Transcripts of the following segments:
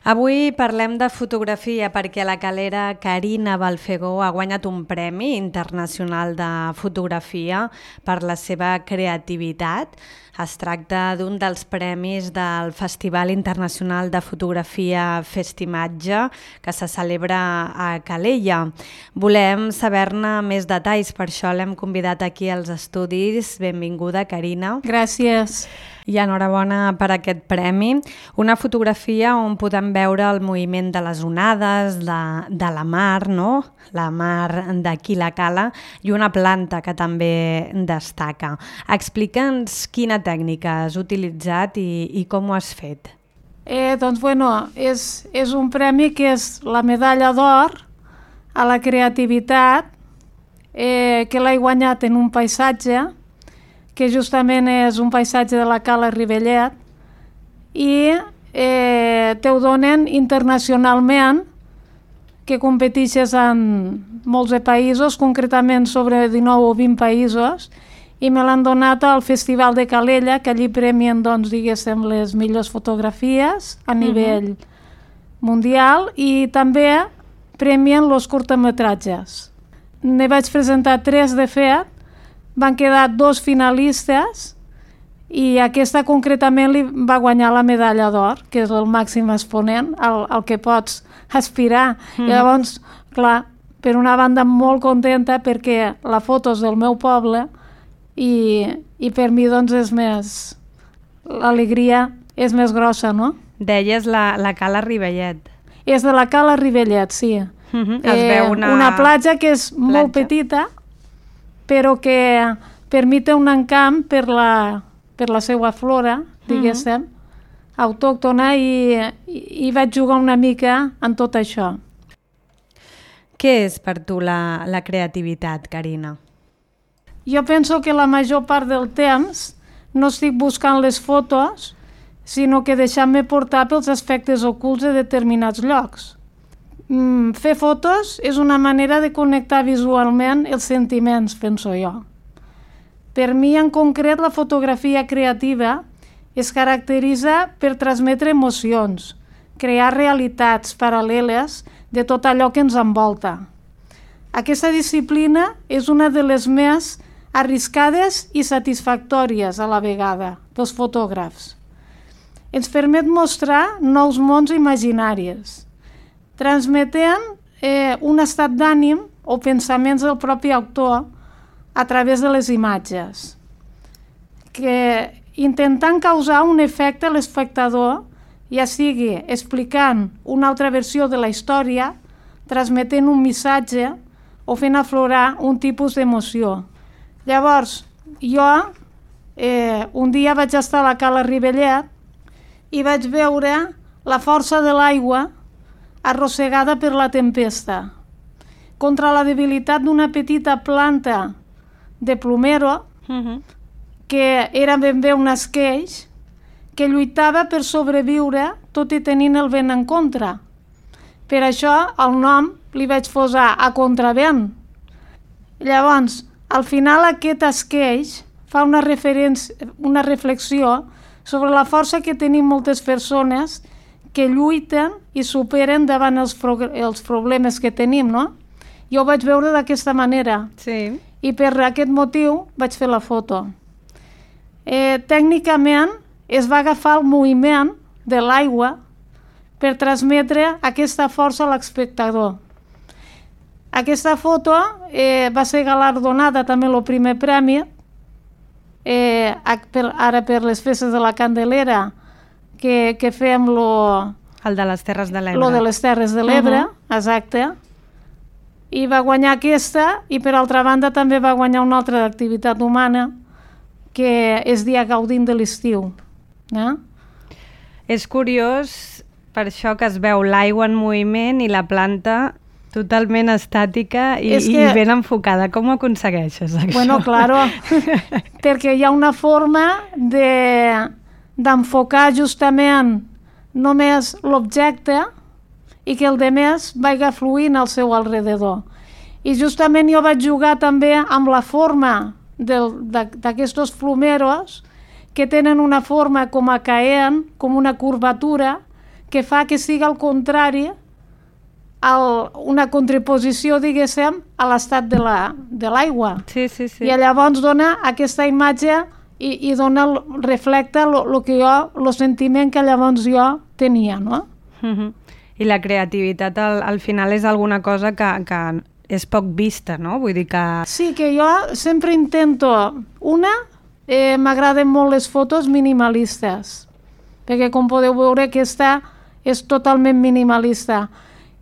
Avui parlem de fotografia perquè la calera Carina Balfegó ha guanyat un premi internacional de fotografia per la seva creativitat. Es tracta d'un dels premis del Festival Internacional de Fotografia Festimatge que se celebra a Calella. Volem saber-ne més detalls, per això l'hem convidat aquí als estudis. Benvinguda, Carina. Gràcies. I enhorabona per aquest premi. Una fotografia on podem veure el moviment de les onades, de la mar, no? La mar d'aquí la cala, i una planta que també destaca. Explica'ns quina tècnica has utilitzat i com ho has fet. És un premi que és la medalla d'or a la creativitat que l'he guanyat en un paisatge que justament és un paisatge de la Cala Rivellet i te ho donen internacionalment, que competeixes en molts de països, concretament sobre 19 o 20 països, i me l'han donat al Festival de Calella, que allí premien, diguéssim, les millors fotografies a nivell mundial, i també premien els curtmetratges. Ne vaig presentar 3 de fet, van quedar 2 finalistes i aquesta concretament li va guanyar la medalla d'or, que és el màxim exponent al que pots aspirar. I llavors, clar, per una banda molt contenta perquè la foto és del meu poble i per mi és més... l'alegria és més grossa, no? Deies la Cala Rivellet. És de la Cala Rivellet, sí. Es veu una platja que és molt petita, però que permite un encamp per la seva flora, diguéssim, autòctona, i vaig jugar una mica en tot això. Què és per tu la creativitat, Carina? Jo penso que la major part del temps no estic buscant les fotos, sinó que deixant-me portar pels aspectes ocults de determinats llocs. Fer fotos és una manera de connectar visualment els sentiments, penso jo. Per mi, en concret, la fotografia creativa es caracteritza per transmetre emocions, crear realitats paral·leles de tot allò que ens envolta. Aquesta disciplina és una de les més arriscades i satisfactòries a la vegada dels fotògrafs. Ens permet mostrar nous mons imaginaris, transmetent un estat d'ànim o pensaments del propi autor a través de les imatges, que intentant causar un efecte a l'espectador, ja sigui explicant una altra versió de la història, transmetent un missatge o fent aflorar un tipus d'emoció. Llavors, jo un dia vaig estar a la Cala Rivellet i vaig veure la força de l'aigua arrossegada per la tempesta, contra la debilitat d'una petita planta de plumero, que era ben bé un esqueix, que lluitava per sobreviure tot i tenint el vent en contra. Per això el nom li vaig posar a contravent. Llavors, al final aquest esqueix fa una reflexió sobre la força que tenim moltes persones que lluiten i superen davant els problemes que tenim, no? Jo ho vaig veure d'aquesta manera. Sí. I per aquest motiu vaig fer la foto. Tècnicament es va agafar el moviment de l'aigua per transmetre aquesta força a l'espectador. Aquesta foto va ser galardonada també el primer premi, ara per les festes de la Candelera, que fem el de les Terres de l'Ebre. Lo de les Terres de l'Ebre, exacte. I va guanyar aquesta, i per altra banda també va guanyar una altra d'activitat humana, que és Dia gaudint de l'estiu. És curiós per això que es veu l'aigua en moviment i la planta totalment estàtica i ben enfocada. Com ho aconsegueixes, això? Bueno, claro, perquè hi ha una forma d'enfocar justament només l'objecte i que el demés vagi fluint al seu alrededor. I justament jo vaig jugar també amb la forma d'aquests plumeros que tenen una forma com a caent, com una curvatura, que fa que sigui al contrari, una contraposició, diguéssim, a l'estat de l'aigua. Sí. I llavors dona aquesta imatge i dona, reflecta el sentiment que llavors jo tenia, no? I la creativitat al final és alguna cosa que és poc vista, no? Vull dir que... Sí, que jo sempre intento... m'agraden molt les fotos minimalistes, perquè com podeu veure aquesta és totalment minimalista.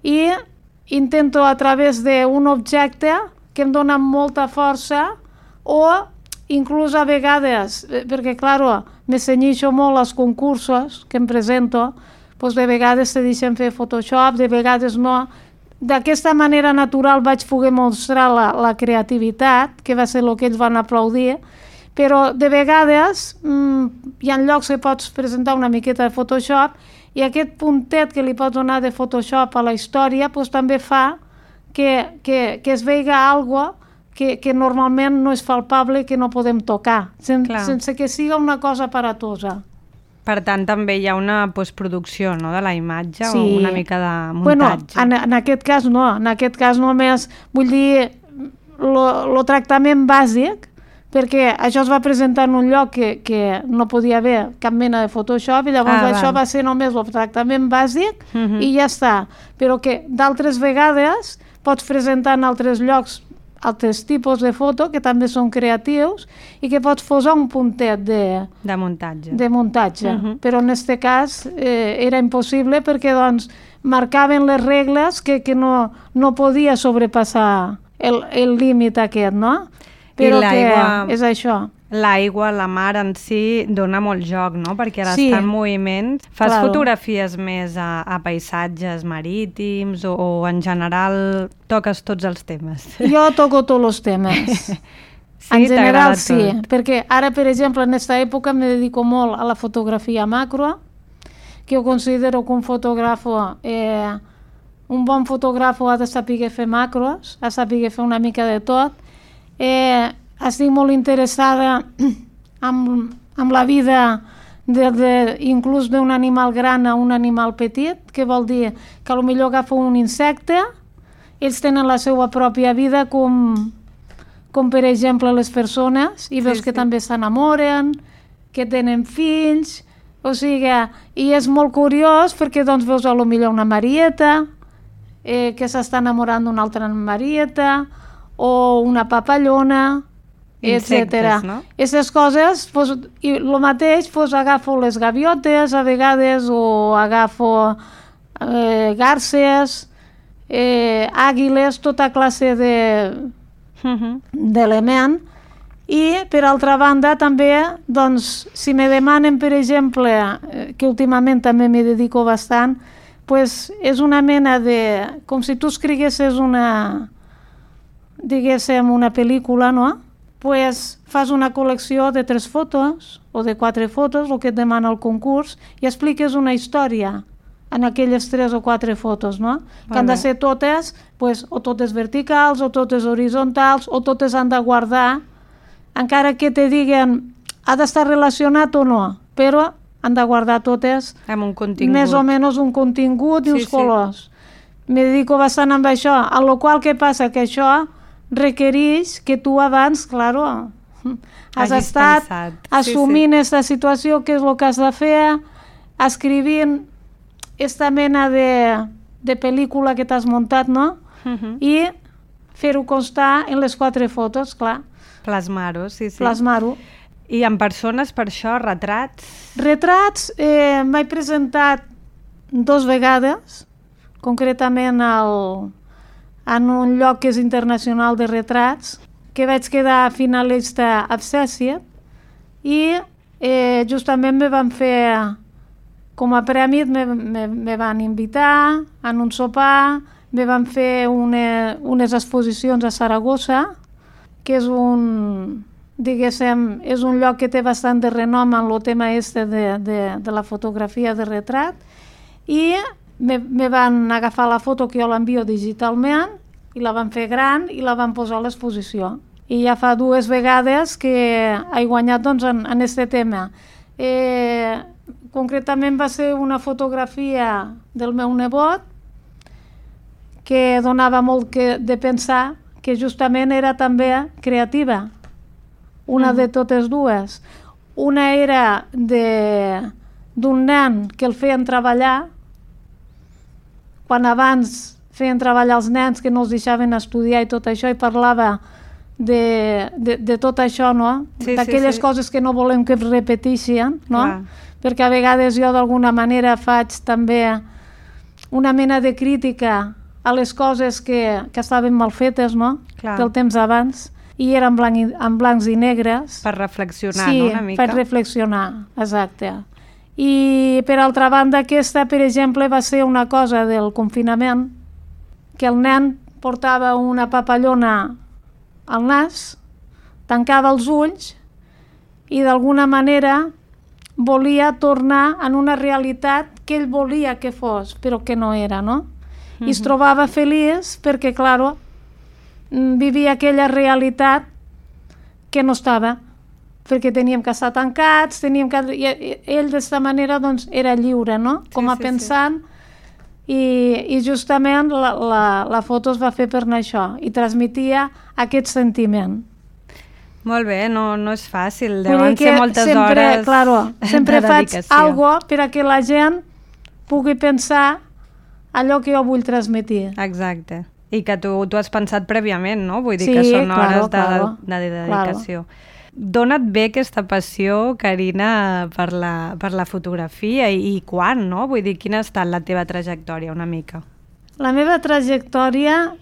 I intento a través d'un objecte que em dona molta força o inclús a vegades, perquè clar, me cenyixo molt als concursos que em presento, doncs de vegades te deixen fer Photoshop, de vegades no. D'aquesta manera natural vaig poder mostrar la creativitat, que va ser el que ells van aplaudir, però de vegades hi ha llocs que pots presentar una miqueta de Photoshop i aquest puntet que li pots donar de Photoshop a la història doncs, també fa que es veiga alguna cosa que normalment no és palpable i que no podem tocar, sense que sigui una cosa aparatosa. Per tant, també hi ha una postproducció, no?, de la imatge, sí. O una mica de muntatge. Bueno, en aquest cas no, en aquest cas només vull dir el tractament bàsic, perquè això es va presentar en un lloc que no podia haver cap mena de Photoshop i llavors això va ser només el tractament bàsic i ja està. Però que d'altres vegades pots presentar en altres llocs altres tipus de foto que també són creatius i que pots posar un puntet de muntatge. Però en aquest cas era impossible perquè doncs, marcaven les regles que no podia sobrepassar el límit aquest, no? Però que és això. L'aigua, la mar en si dona molt joc, no? Perquè ara està en moviment. Fas fotografies més a paisatges marítims o en general toques tots els temes? Jo toco tots els temes. En general sí, perquè ara, per exemple, en aquesta època me dedico molt a la fotografia macro, que jo considero que un bon fotògraf ha de saber fer macros, ha de saber fer una mica de tot. Estic molt interessada amb la vida inclús d'un animal gran a un animal petit, que vol dir que potser agafa un insecte, ells tenen la seva pròpia vida com per exemple les persones, i veus que també s'enamoren, que tenen fills, o sigui, i és molt curiós perquè doncs veus potser una marieta que s'està enamorant d'una altra marieta, o una papallona, etc. Aquestes coses, i el mateix, agafo les gaviotes a vegades, o agafo garces, àguiles, tota classe d'element. I, per altra banda, també, doncs, si me demanen, per exemple, que últimament també m'hi dedico bastant, doncs és una mena de... com si tu escriguessis diguéssim, una pel·lícula, no? Pues fas una col·lecció de 3 fotos o de 4 fotos, el que et demana el concurs, i expliques una història en aquelles 3 o 4 fotos, no? Que han de ser totes, pues, o totes verticals, o totes horitzontals, o totes han de guardar, encara que te diguen ha d'estar relacionat o no, però han de guardar totes amb un contingut. Més o menys un contingut i uns colors. Me dedico bastant amb això, a lo qual que passa que això requereix que tu abans, claro, has estat assumint aquesta situació, que és el que has de fer, escrivint aquesta mena de pel·lícula que t'has muntat, no? I fer-ho constar en les 4 fotos, clar. Plasmar-ho, sí. Plasmar-ho. I en persones, per això, retrats? Retrats m'he presentat 2 vegades, concretament en un lloc que és internacional de retrats, que vaig quedar finalista Obsessive, i justament me van fer, com a prèmit, me van invitar en un sopar, me van fer unes exposicions a Saragossa, que és diguéssim, és un lloc que té bastant de renom en el tema de la fotografia de retrat, i me van agafar la foto que jo l'envio digitalment i la van fer gran i la van posar a l'exposició. I ja fa 2 vegades que he guanyat doncs, en aquest tema. concretament va ser una fotografia del meu nebot que donava molt de pensar, que justament era també creativa, una de totes dues. Una era d'un nen que el feien treballar, quan abans feien treballar els nens que no els deixaven estudiar i tot això, i parlava de tot això, no? D'aquelles coses que no volem que es repeteixin, no? Perquè a vegades jo d'alguna manera faig també una mena de crítica a les coses que estaven mal fetes, no? Del temps abans, i eren en blancs i negres. Per reflexionar, no? Una mica. Sí, per reflexionar, exacte. I per altra banda, aquesta, per exemple, va ser una cosa del confinament, que el nen portava una papallona al nas, tancava els ulls i d'alguna manera volia tornar en una realitat que ell volia que fos, però que no era, no? I es trobava feliç perquè, clar, vivia aquella realitat que no estava, perquè teníem que estar tancats, i ell d'esta manera doncs, era lliure, no? Com a pensant, i justament la foto es va fer per això, i transmetia aquest sentiment. Molt bé, no és fàcil, deuen ser moltes hores de dedicació. Sempre faig alguna cosa per a que la gent pugui pensar allò que jo vull transmetre. Exacte. I que tu has pensat prèviament, no? Vull dir que són hores de dedicació. D'on et ve aquesta passió, Carina, per la fotografia i quan, no? Vull dir, quina ha estat la teva trajectòria, una mica? La meva trajectòria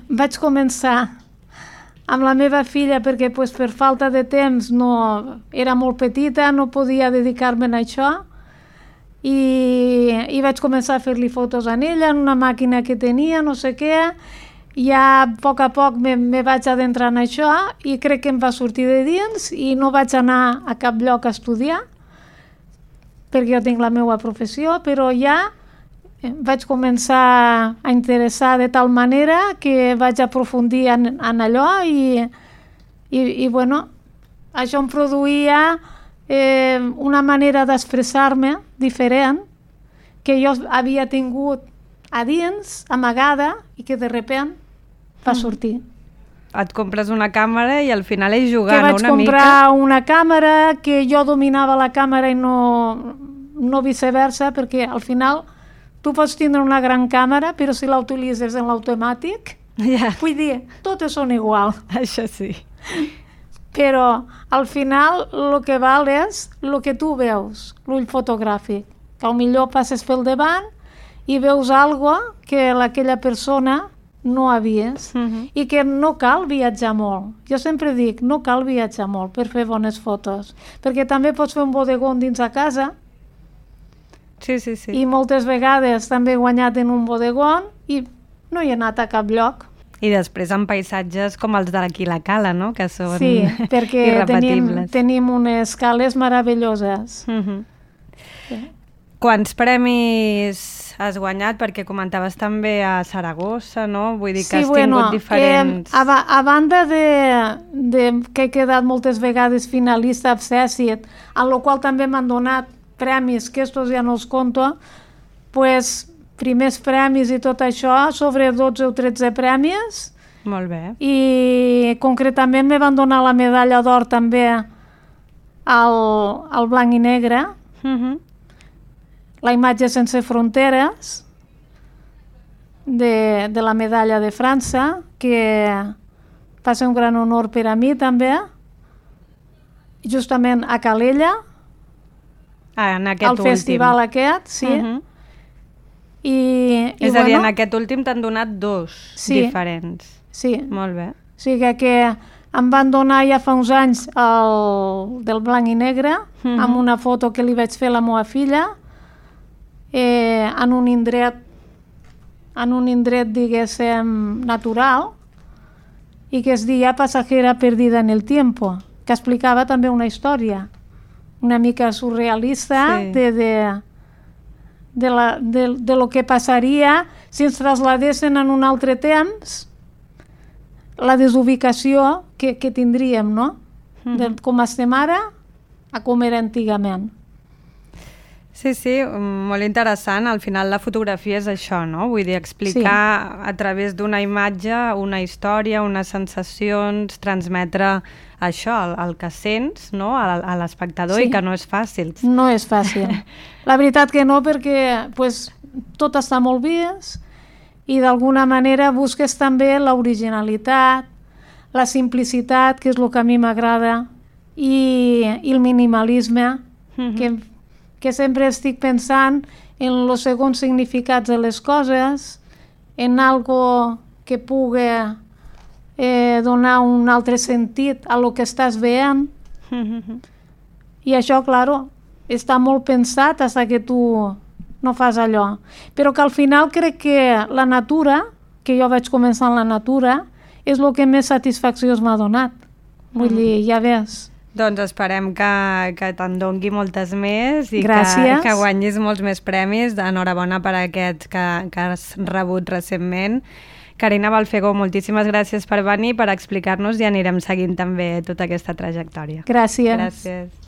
vaig començar amb la meva filla perquè per falta de temps era molt petita, no podia dedicar-me a això, i vaig començar a fer-li fotos a ella en una màquina que tenia, no sé què. Ja a poc me vaig adentrar en això i crec que em va sortir de dins i no vaig anar a cap lloc a estudiar perquè jo tinc la meva professió, però ja vaig començar a interessar de tal manera que vaig aprofundir en allò i bueno, això em produïa una manera d'expressar-me diferent que jo havia tingut a dins, amagada, i que de sobte va sortir. Et compres una càmera i al final és jugant una mica. Que vaig comprar una càmera, que jo dominava la càmera i no viceversa, perquè al final tu pots tindre una gran càmera, però si la utilitzes en l'automàtic, vull dir, totes són igual. Això sí. Però al final el que val és el que tu veus, l'ull fotogràfic, que potser passes pel davant i veus alguna que aquella persona no ha vist, i que no cal viatjar molt. Jo sempre dic, no cal viatjar molt per fer bones fotos, perquè també pots fer un bodegó dins a casa, i moltes vegades també he guanyat en un bodegó i no he anat a cap lloc. I després en paisatges com els d'aquí la Cala, no? Que són perquè tenim unes cales meravelloses. Quants premis has guanyat? Perquè comentaves també a Saragossa, no? Vull dir que has tingut diferents... A banda que he quedat moltes vegades finalista a Cècit, en la qual també m'han donat premis, que estos ja no els conto, pues primers premis i tot això, sobre 12 o 13 premis. Molt bé. I concretament me van donar la medalla d'or també al blanc i negre, la imatge sense fronteres de la medalla de França, que va ser un gran honor per a mi també, justament a Calella, al festival aquest, sí. És a dir, en aquest últim t'han donat dos diferents. Sí. Molt bé. O sigui que em van donar ja fa uns anys el del blanc i negre, amb una foto que li vaig fer a la meva filla, en un indret, diguéssim, natural, i que es deia Pasajera perdida en el tiempo, que explicava també una història una mica surrealista de lo que passaria si ens trasladessin en un altre temps, la desubicació que tindríem, no? De com estem ara a com era antigament. Sí, sí, molt interessant. Al final la fotografia és això, no? Vull dir, explicar a través d'una imatge una història, unes sensacions, transmetre això, el que sents, no? A l'espectador, i que no és fàcil. No és fàcil. La veritat que no, perquè tot està molt vist i d'alguna manera busques també l'originalitat, la simplicitat, que és el que a mi m'agrada, i el minimalisme, que sempre estic pensant en els segons significats de les coses, en algo que pugui donar un altre sentit a lo que estàs veient. I això, claro, està molt pensat fins que tu no fas allò. Però que al final crec que la natura, que jo vaig començar en la natura, és el que més satisfacció m'ha donat. Vull dir, ja ves. Doncs esperem que te'n dongui moltes més i que guanyis molts més premis. Enhorabona per aquests que has rebut recentment. Carina Balfegó, moltíssimes gràcies per venir, per explicar-nos, i anirem seguint també tota aquesta trajectòria. Gràcies. Gràcies.